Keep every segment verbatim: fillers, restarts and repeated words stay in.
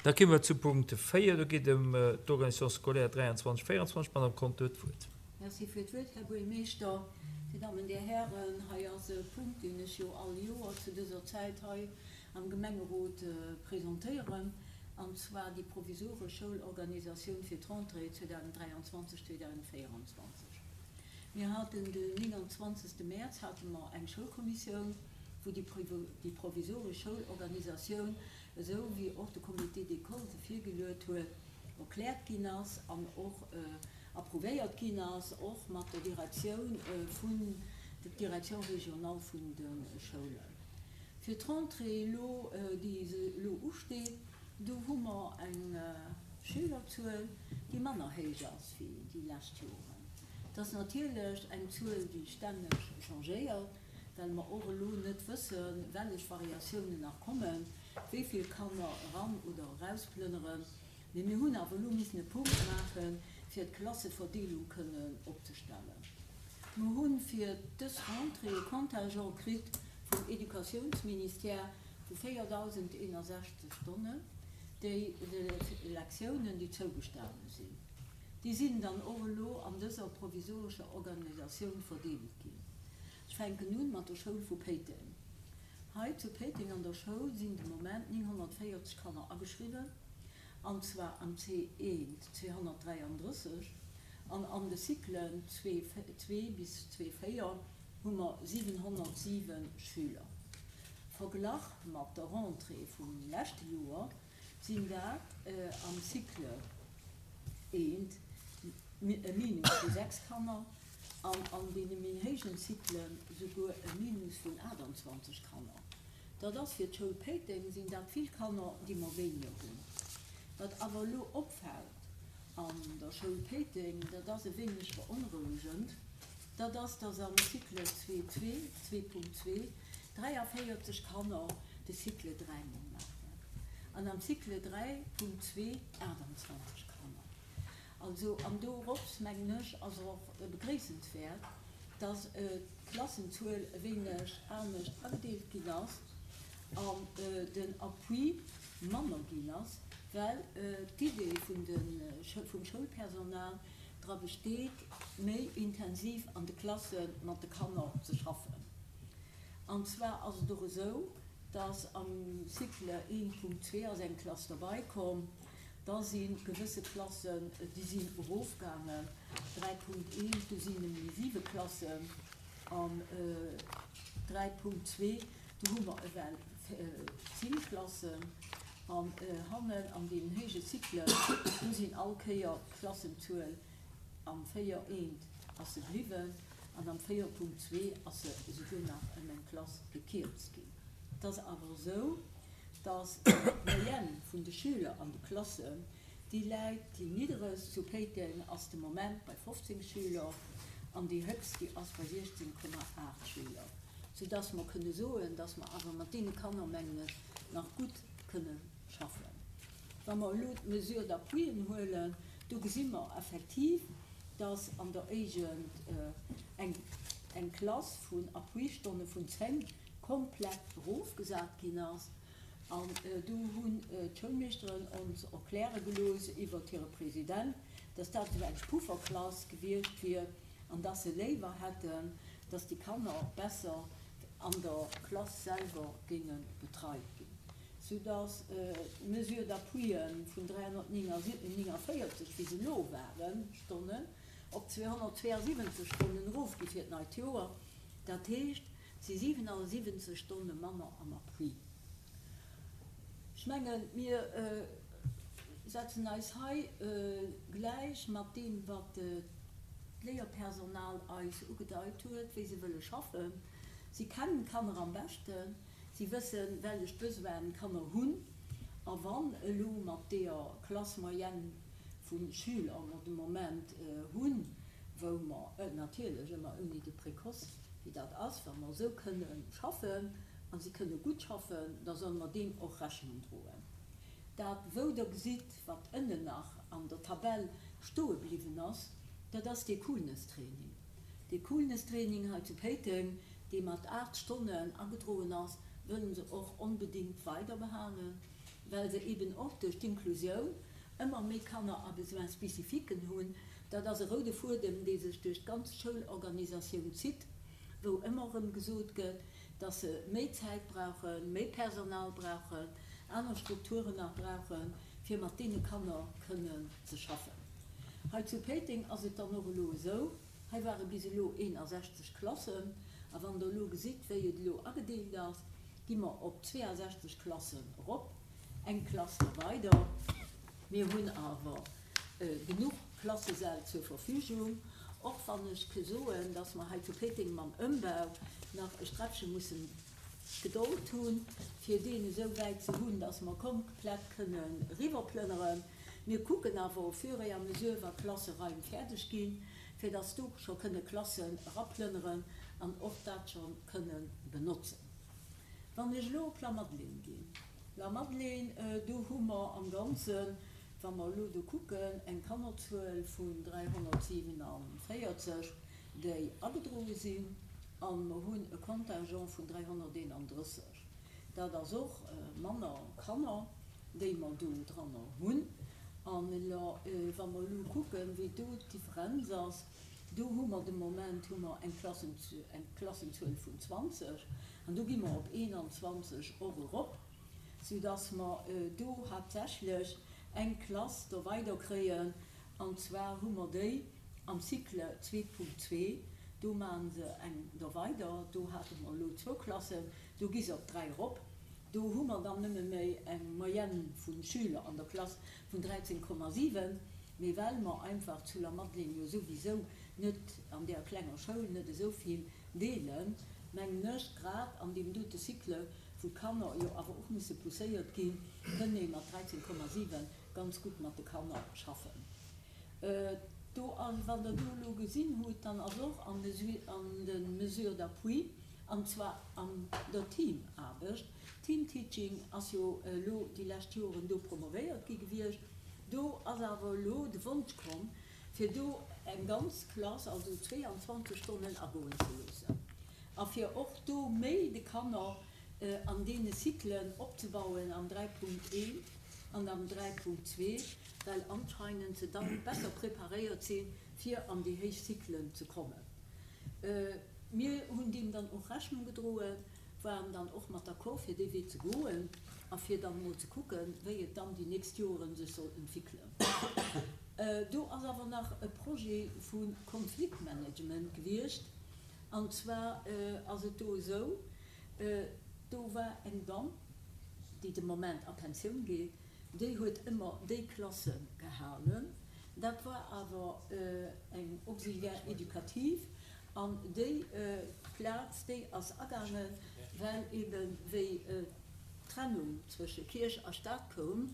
Da komme mer zu Punkt véier, do geet et ëm d'Organisation scolaire dräianzwanzeg, véieranzwanzeg. D'Madame Conter huet d'Wuert. Merci fir d'Wuert, Här Buergermeeschter, Dir Dammen, Dir Hären. Hei ass e Punkt, deen ech jo all Joer zu dëser Zäit hei am Gemengerot presentéieren, an zwar déi provisoresch Schoulorganisatioun fir d'Rentrée zweedausenddräianzwanzeg, zweedausendvéieranzwanzeg. Mir haten den nénganzwanzegste Mäerz hate mer eng Schoulkommissioun, wou déi provisoresch Schoulorganisatioun, esou wéi och de Comité d'école se virgeluet huet, erkläert ginn ass an och approuvéiert ginn ass, och mat der Direktioun vun der Direction régionale vun de Schoulen. Fir d'Rentrée elo, déi elo usteet, do hu mer eng Schülerzuel, déi manner héich ass wéi déi lescht Joren. Dat ass natierlech eng Zuel, déi stänneg changéiert, well mer och elo net wëssen, wellech Variatiounen nach kommen, wéi vill Kanner eran oder erausplënneren. Mee mir hunn awer elo missen e Punkt maachen, fir d'Klasseverdeelung kënnen opzestellen. Mer hu fir dës Rentrée e Contingent kritt vum Educatiounsministère vu véierdausendeenasechzeg Stonnen, déi Lektiounen, déi zougestane sinn. Déi sinn dann och elo an dëser provisorescher Organisatioun verdeelt ginn. Ech fänken un mat der Schoul vu Péiteng. Hei zu Péiteng an der Schoul sinn de Moment nénghonnertvéierzeg Kanner ageschriwwen, an zwar am C eent zweehonnertdräiandrësseg an an de Cyclen zwee zwee bis zwee véier hu mer siwenhonnertsiwen Schüler. Verglach mat der Rentrée vum leschte Joer sinn dat am Cycle eent e Minus vu sechs Kanner an an deene méi héijen Cyclen souguer e Minus vun aachtanzwanzeg Kanner. Dat ass fir d'Schoul Péiteng sinn dat vill Kanner, déi mer wéiniger hunn. Wat awer elo opfält an der Schoul Péiteng, dat ass e wéineg beonrouegend, dat ass, dass am Cycle zwee zwee, zwee Punkt zwee, dräiavéierzeg Kanner de Cycle dräi mol maachen an am Cycle dräi Punkt zwee aachtanzwanzeg Kanner. Also, an dorops, mengen ech, ass och begréissenswäert, dass d'Klassenzuel e wéineg anescht agedeelt ginn ass an den Appui manner ginn ass, well d'Idee vun de vum Schoulpersonal dra besteet, méi intensiv an de Klasse mat de Kanner ze schaffen. An zwar ass et och esou, dass am Cycle een Punkt zwee ass eng Klass derbei komm, da si gewësse Klassen, déi sinn erofgaangen, dräi Punkt eent, do sinn nëmme méi siwe Klassen, an dräi Punkt zwee, do hu mer ewell zéng Klassen, an hannen an deenen héije Cyclen, do sinn all Kéier d'Klassenzuel am véier eent ass se bliwwen an am véier Punkt zwee ass se esouguer nach ëm eng Klass gekierzt ginn. Et ass awer esou, dass d'Moyenne vun de Schüler an de Klassen, déi läit, déi nidderegst zu Péiteng ass de Moment bei fofzéng Schüler an déi héchst, déi ass bei siechzéng Komma aacht Schüler, soudass mer kënne soen, dass mer awer mat deene Kanner, mengen ech, nach gutt kënne schaffen. Wa mer elo d'Mesure d'appuien huelen, do gesi mer effektiv, dass an der Éigend eng eng Klass vun Appuistonne vun zéng komplett erofgesat ginn ass. An do hunn d'Schoulmeeschteren ons erkläre gelooss iwwert hire President, dass dat esou eng Pufferklass gewiescht wier an dass se léiwer hätten, dass déi Kanner besser an der Klass selwer géinge betreit ginn, soudass d'Mesure d'appuie vun dräihonnertnéngavéierzeg, wéi se elo waren, Stonnen, op zweehonnertzweeasiwwenzeg Stonnen erofgi fir d'neit Joer. Dat heescht, et si siwenasiwwenzeg Stonne manner am Appui. Ech mengen, mir setzen eis hei gläich mat deem, wat d'Léierpersonal eis ugedeit huet, wéi se wëlle schaffen. Si kennen d'Kanner am beschten, si wëssen, wellech Besoinen d'Kanner hunn. A wann elo mat deeër Classe moyenne vu Schüler mer de Moment hunn, wou mer natierlech ëmmer ouni de Précoce, wéi dat ass, wa mer esou kënne schaffen, a si kënne gutt schaffen, da solle mer deem och Rechnung droen. Dat, wou Der gesitt, wat ënnen nach an der Tabell stoe bliwwen ass, dat ass dee Coolness-Training. Dee Coolness-Training hei zu Péiteng, dee mat aacht Stonnen agedroen ass, wëlle se och onbedéngt weiderbehalen, well se eben och duerch d'Inklusioun ëmmer méi Kanner à besoins spécifiques hunn. Dat ass e roude Fuedem, dee sech duerch d'ganz Schoulorganisatioun zitt, wou ëmmer erëm gesot gëtt, dass se méi Zäit brauchen, méi Personal brauchen, aner Strukturen nach brauchen, fir mat deene Kanner kënnen ze schaffen. Hei zu Péiteng ass et dann och elo esou, hei ware bis elo eenasechzeg Klassen, a wann Der elo gesitt, wéi et elo agedeelt ass, gi mer op zweeasechzeg Klassen erop, eng Klass da weider. Mir hunn awer genuch Klassesäll zur Verfügung, och wann ech ke soen, dass mer hei zu Péiteng mam Ëmbau nach e Sträppche mussen Gedold hunn, fir deen esou wäit ze hunn, dass mer komplett kënnen eriwwerplënneren. Mir kucken awer au fur et à mesure, wa Klasseraim fäerdeg ginn, fir dass do scho kënne Klassen eraplënneren an och dat scho kënne benotzen. Wann ech elo op Lamadelaine ginn, Lamadelaine, do hu mer am Ganzen, wa mer elo do kucken, eng Kannerzuel vun dräihonnertsiwenavéierzeg, déi agedroe sinn, a mer hunn e Contingent vun dräihonnerteenandrësseg. Dat ass och manner Kanner, déi mer do dranner hunn. An elo, wa mer elo kucken, wéi do d'Differenz ass, do hu mer de Moment hu mer eng Klassenzuel vun zwanzeg an do gi mer op eenanzwanzeg och erop, soudass mer do haaptsächlech eng Klass do weider kréien. An zwar hu mer déi am Cycle zwee Punkt zwee, do maache se eng do weider, do hate mer elo zwou Klassen, do gi se op dräi erop. Do hu mer dann nëmme méi eng Moyenne vu Schüler an der Klass vun dräizéng Komma siwen, mee well mer einfach zu Lamadelaine jo souwisou net an där klenger Schoul net esou vill deelen, mengen ech, grad an deem dote Cycle, wou d'Kanner jo awer och musse pousséiert ginn, kënn ee mat dräizéng Komma siwen ganz gutt mat de Kanner schaffen. Do, wann Der do elo gesinn hutt, dann ass och an de Mesures d'appui, an zwar an der Teamaarbecht, Teamteaching ass jo elo déi lescht Joren do promovéiert gi gewiescht, do ass awer elo de Wonsch komm, fir do eng ganz Klass, also zweeanzwanzeg Stonnen agoen ze loossen a fir och do méi de Kanner an deene Cyclen opzebauen am dräi Punkt eent an am dräi Punkt zwee, well anscheinend se dann besser preparéiert sinn, fir an déi héich Cyclen ze kommen. Mir hunn deem dann och Rechnung gedroen, waren dann och mat d'accord, fir dee Wee ze goen a fir dann emol ze kucken, wéi et dann déi nächst Joren sech soll entwickeln. Do ass awer nach e Projet vu Konfliktmanagement gewiescht. An zwar ass et do esou, do war eng Damm, déi de Moment a Pensioun geet, déi huet ëmmer déi Klasse gehalen. Dat war awer eng Auxiliaire éducative an déi Plaz, déi ass agaangen, well eben, wéi d'Trennung zwësche Kierch a Staat koum,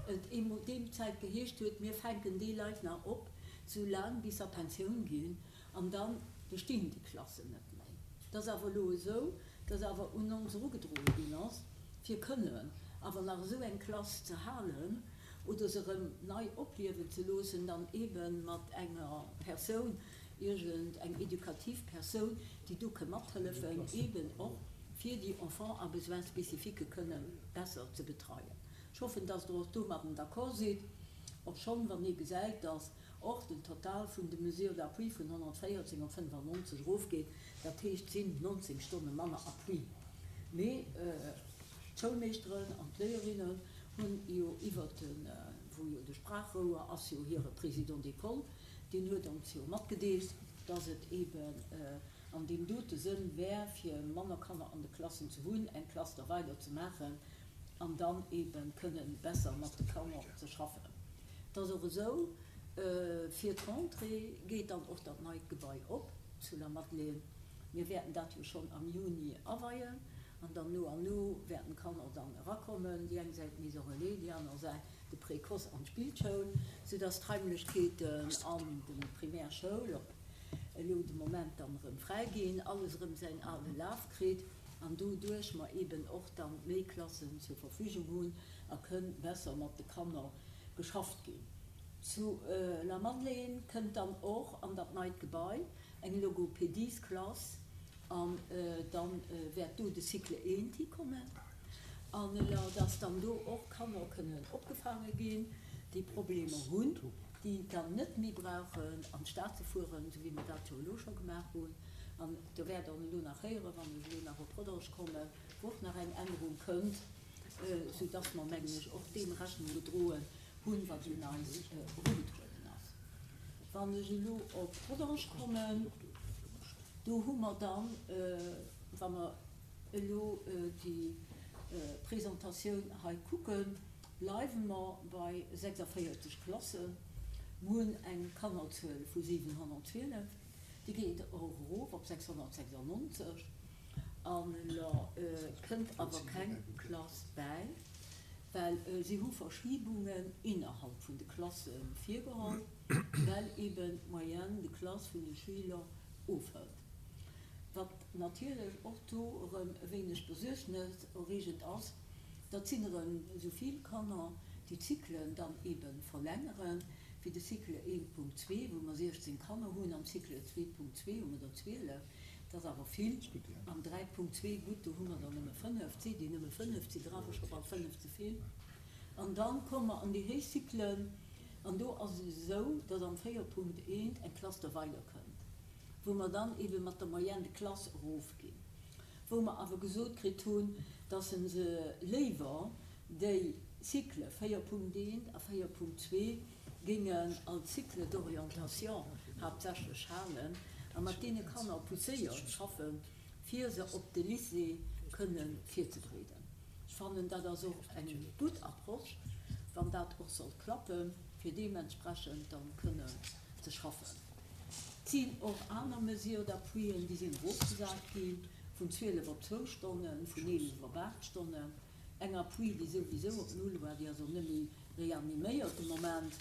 et eemol deem Zäit geheescht huet, mir fänken déi Leit nach op, soulaang bis se a Pensioun ginn, an da bestinn déi Klassen net méi. Et ass awer elo esou, dass awer un ons erugedroe ginn ass, fir kënnen awer nach esou eng Klass ze halen oder se erëm nei opliewen ze loossen, dann eebe mat enger Persoun, iergend eng edukativ Persoun, déi do ke mathëllefen, eeben och fir déi Enfants à besoins spécifiques kënne besser ze betreien. Ech hoffen, dass Der och domadden d'accord sidd, obschonn, wann ee gesäit, dass och den Total vun de Mesures d'appui vun honnertvéierzéng op fënnefannonzeg erofgeet, dat heescht, et sinn nonzéng Stonne manner Appui. Mee d'Schoulmeeschteren an d'Léierinnen hunn jo iwwert de, wou jo de Sprachrouer ass jo hire Président d'école, deen huet ons jo matgedeelt, dass et eeben an deem dote Sënn wär, fir manner Kanner an de Klassen ze hunn, eng Klass da weider ze maachen an dann eebe kënnen besser mat de Kanner ze schaffen. Et ass och esou, fir d'Rentrée geet dann och dat neit Gebai op zu Lamadelaine. Mir wäerten dat jo schonn am Juni aweien an dann no an no wäerten d'Kanner dann erakommen, déi eng Säit d'Maison relais, déi aner Säit de Précoce an d'Spillschoul, soudass d'Raimlechkeeten an de Primärschoul op elo de Moment dann erëm fräi ginn, alles erëm säin ale Laf kritt an doduerch mer eeben och dann méi Klassen zur Verfügung hunn a kënn besser mat de Kanner geschafft ginn. Zu Lamadelaine kënnt dann och an dat neit Gebai eng Logopediesklass an dann wäert do de Cycle eent hikommen. An dass dann do och Kanner kënnen opgefaange ginn, déi Problemer hunn, déi dann net méi brauchen an d'Stad ze fueren, esou wéi mer dat jo elo scho gemaach hunn. An do wäert Der elo nach héieren, wann ech elo nach op Rodange kommen, wou och nach eng Ännerung kënnt, soudass mer, mengen ech, och deem Rechnung gedroen hunn, wat un eis erugedroen ass. Wann ech elo op Rodange kommen, do hu mer dann, wa mer elo déi Presentatioun hei kucken, bleiwe mer bei sechsundvéierzeg Klassen. Mer hunn eng Kannerzuel vu siwenhonnertzwielef, déi geet och erof op sechshonnertsechsundneunzeg. An elo kënnt awer keng Klass bäi, well si hu Verschibungen innerhalb vun de Klasse virgeholl, well eben d'Moyenne de classe vun de Schüler ofhëlt. Wat natierlech och do erëm e wéineg besuergneserreegend ass, dat sinn erëm esou vill Kanner, déi d'Zyklen dann ebe verlängeren, wéi de Cycle eent Punkt zwee, wou mer siechzéng Kanner hunn, am Cycle zwee Punkt zwee hu mer der zwielef, dat ass awer vill, am dräi Punkt zwee, gutt, do hu mer der nëmme fënnef, et si déi nëmme fënnef, et si der awer scho bal fënnef ze vill. An da komme mer an déi héich Zyklen, an do ass et esou, datt am véier Punkt eent eng Klass der weider kënnt, wou mer dann ebe mat der Moyenne de classe erofginn, wou mer awer gesot kritt hunn, dass se se léiwer déi Cycle véier Punkt eent a véier Punkt zwee géingen als Cycle d'orientation haaptsächlech halen a mat deene Kanner pousséiert schaffen, fir se op de Lycée kënnen virzebereeden. Ech fannen, dat ass och eng gutt Approche, wann dat och sollt klappen, fir deementsprechend dann kënnen ze schaffen. Et sinn och aner Mesures d'appui, déi sinn erofgesat ginn, vun zwielef op zwou Stonnen, vun eelef op aacht Stonnen. Eng Appui, déi souwisou op null war, déi ass och net méi reaniméiert de Moment.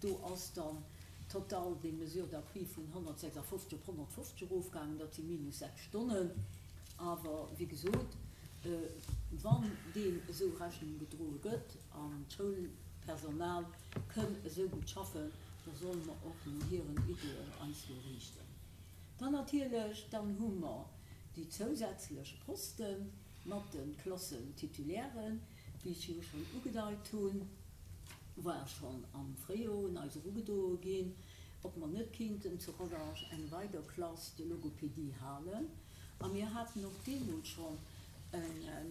Do ass dann total déi Mesure d'appui vun honnertsechsundfünfzig op honnertfünfzig erofgaangen, dat si minus sechs Stonnen. Awer, wéi gesot, wann deem esou Rechnung gedroe gëtt an d'Schoulpersonal kënn esou gutt schaffen, da solle mer och no hiren Ideeën eis do riichten. Dann natierlech, dann hu mer déi zousätzlech Posten mat de Klassentitulären, wéi ech jo schonn ugedeit hunn, war schonn am Fréijoer un eis erugedroe ginn, ob mer net kéinten zu Rodange eng weider Klass de Logopédie halen. A mir haten och deemools schonn en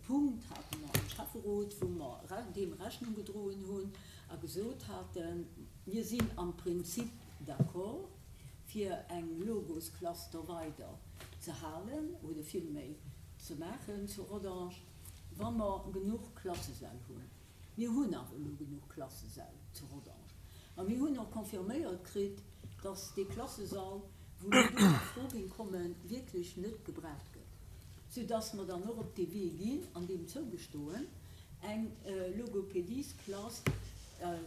Punkt hate mer am Schäfferot, wou mer deem Rechnung gedroen hunn a gesot haten, mir sinn am Prinzip d'accord, fir eng Logosklass do weider ze halen oder villméi ze maachen zu Rodange, wa mer genuch Klassesäll hunn. Mir hunn awer elo genuch Klassesäll zu Rodange. A mir hunn och confirméiert kritt, dass dee Klassesall, wou mir do a Fro géing kommen, wierklech net gebraucht gëtt, soudass mer dann och op dee Wee ginn an deem zougestoen, eng Logopédiesklass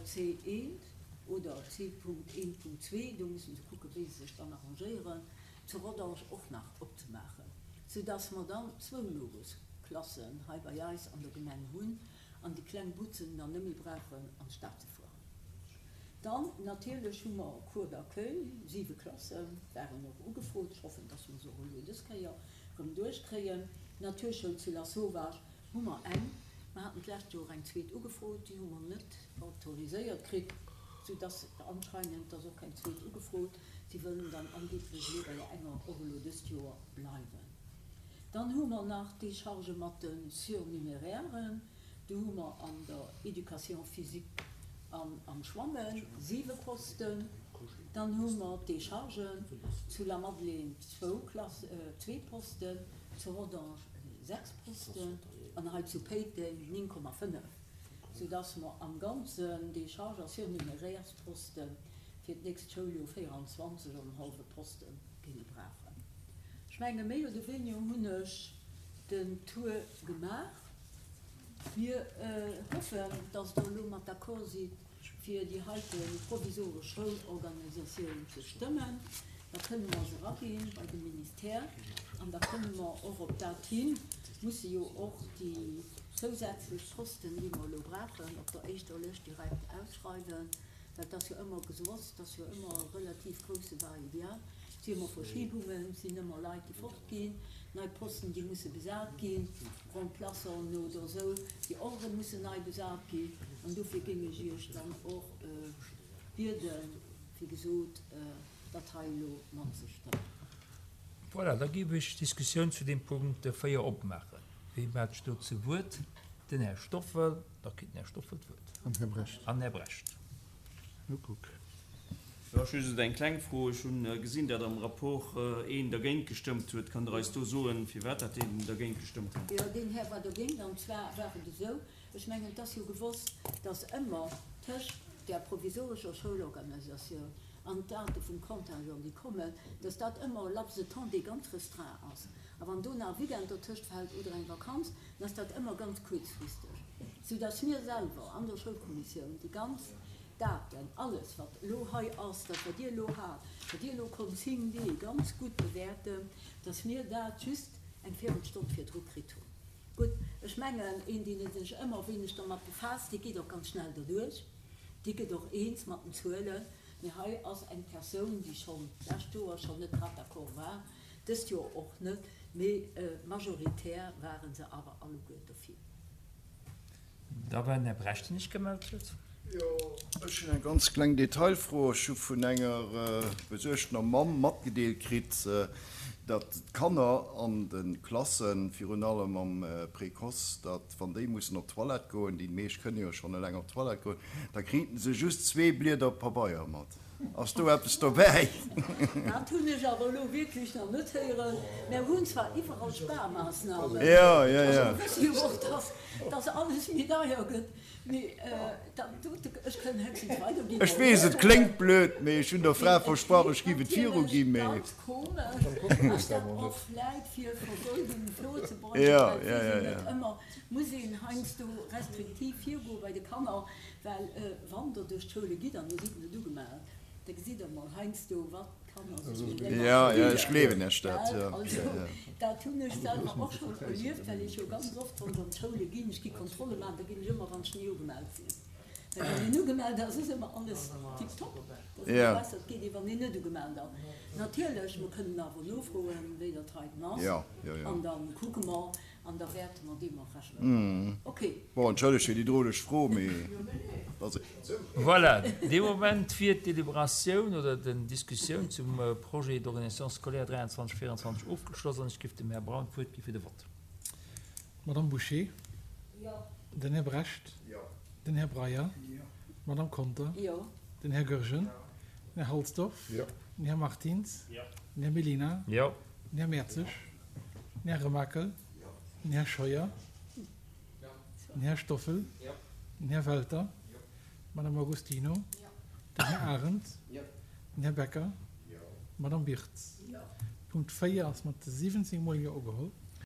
C eent oder C Punkt eent Punkt zwee, do mussen se kucken, wéi se sech dann arrangéieren, zu Rodange och nach opzemaachen, soudass mer dann zwou Logosklassen hei bei eis an der Gemeng hunn an déi kleng Butzen dann net méi brauchen, an d'Stad ze fueren. Dann natierlech hu mer Cours d'accueil, siwe Klassen waren och ugefrot. Ech hoffen, dass mer se och elo dës Kéier erëm duerchkréien. Naturschoul zu Lasauvage hu mer eng. Mer haten d'lescht Joer eng zweet ugefrot, déi hu mer net autoriséiert kritt, soudass anscheinend ass och keng zweet ugefrot. Si wëllen dann angeblech elo bei der enger och elo dëst Joer bleiwen. Dann hu mer nach d'Décharge mat de Surnumérären. Do hu mer an der Éducation physique an am Schwammen siwe Posten. Dann hu mer d'Déchargen zu La Madeleine zwou Klass, zwee Posten, zu Rodange sechs Posten an hei zu Péiteng néng Komma fënnef, soudass mer am Ganzen Décharge a Surnumérärsposten fir d'nächst Schouljoer véieranzwanzeg an en hallwe Poste géinge brauchen. Ech menge méi oder wéiniger hunn ech den Tour gemaach. Mir hoffen, dass Der elo mat d'accord sidd, fir déi heite provisoresch Schoulorganisatioun ze stëmmen. Da kënne mer se eraginn bei de Ministère an da kënne mer och op dat hin, musse jo och déi zousätzlech Posten, déi mer elo brauchen, op der éischter Lëscht direkt ausschreiwen, well dat ass jo ëmmer geswosst, dat ass jo ëmmer e relativ grousse Va-et-vient Et si ëmmer Verschibungen, et sinn ëmmer Leit, déi fortginn, nei Posten, déi musse besat ginn, Remplaçanten oder esou, déi och erëm mussen nei besat ginn. An dofir géing ech Iech dann och bieden, wéi gesot, dat hei elo matzestëmmen. Voilà, da géif ech d'Diskussioun zu deem Punkt véier opmaachen. Wie mellt sech do zu Wuert? Den Här Stoffel. Da kritt den Här Stoffel d'Wuert. An Här Brecht. An Här Brecht. No kuck. Jo, ech hu just eng kleng Fro. Ech hu gesinn, datt am Rapport een dergéint gestëmmt huet. Kann Der eis do soen, firwat dat deen dergéint gestëmmt huet? Jo, deen Här war dergéint. An zwar war et esou, ech mengen, et ass jo gewosst, datt ëmmer tëscht där provisorescher Schoulorganisatioun an d'Date vum Contingent, déi kommen, datt dat ëmmer e Laps de temps, dee ganz restreint ass. A wann do nach e Weekend dertëscht fält oder eng Vakanz, dann ass dat ëmmer ganz kuerzfristeg, soudatt mir selwer an der Schoulkommissioun déi ganz Daten, alles wat elo hei ass, dat wat Dir elo hat, wat Dir elo Consigne D ganz gutt bewäerten, datt mir dat just eng Véirelstonn virdru kritt hunn. Gutt, ech mengen, een, deen sech ëmmer wéineg dermat befaasst, dee geet och ganz schnell derduerch, dee gëtt och eens mat den Zuelen. Mee hei ass eng Persoun, déi schonn d'lescht Joer schonn net grad d'accord war, dëst Joer och net, mee majoritär ware se awer alleguer dofir. Da war den Här Brecht, deen sech gemellt huet. Jo, ech hunn eng ganz kleng Detailfro. Ech hu vun enger besuergtener Mamm matgedeelt kritt, datt d'Kanner an de Klassen, virun allem am Précoce, datt wann déi mussen op d'Toilette goen, déi meescht kënne jo schonn eleng op d'Toilette goen, da kriten se just zwee Blieder Pabeier mat. Ass do eppes dobäi? Dat hunn ech awer elo wierklech nach net héieren. Mär hunn zwar iwwerall Sparmaassnamen, Jo, jo, also jo. mer wësse jo och, dass, dass alles méi deier gëtt, mee dat dote, ech kënn héchstens weiderginn. Ech weess, et kléngt blöd, mee ech hunn der Fra Mee et versprach, kléngt ech giff et natierlech viruginn, mee. ganz komesch, ass dat och vläit fir Versoldung virzebeugen, Jo, well jo, et weess jo, een net jo. ëmmer, muss een heiansdo restriktiv virgoe bei de Kanner, well wann Der duerch d'Schoule gitt an Dir sidd net ugemellt, da gesitt Der mol heiansdo, wat d'Kanner sech mit enger Ja, ja, spillen. ech gleewen Iech dat, Gell? jo, Also, jo, jo. dat hunn ech selwer och schonn erlieft, well ech jo ganz oft, wann ech an d'Schoule ginn, ech gi Kontrolle maachen, da ginn ech ëmmer, wann ech ni ugemellt sinn. Well wann een ugemellt ass, ass ëmmer alles tiptop. Dat ass ëmmer Ja. besser, et geet ee, wann een net ugemellt ass. Natierlech, mer kënnen awer nofroen, wéi dat heiten ass, Ja, jo, jo. an da kucke mer. An da wäerte mer deem och Rechnung droen. Ok. Bon, entschëllegt fir déi droleg Fro, mee et ass esou. Voilà, dee Moment wier d'Deliberatioun oder den Diskussioun zum Projet d'organisation scolaire dräianzwanzeg véieranzwanzeg ofgeschloss an ech géif dem Här Braun d'Wuert gi fir de Vott. D'Madame Bouché. Jo. Den Här Brecht. Jo. Den Här Breyer. Jo. D'Madame Conter. Jo. Den Här Goergen. Den Här Halsdorf. Jo. Den Här Martins. Jo. Den Här Mellina. Jo. Den Här Mertzig. Den Här Remakel. Den Här Scheuer. Den Här Stoffel. Den Här Welter. D'Madame Agostino. Den Här Arendt. Den Här Becker. D'Madame Birtz. Punkt véier ass mat siwwenzéng mol Jo ugeholl.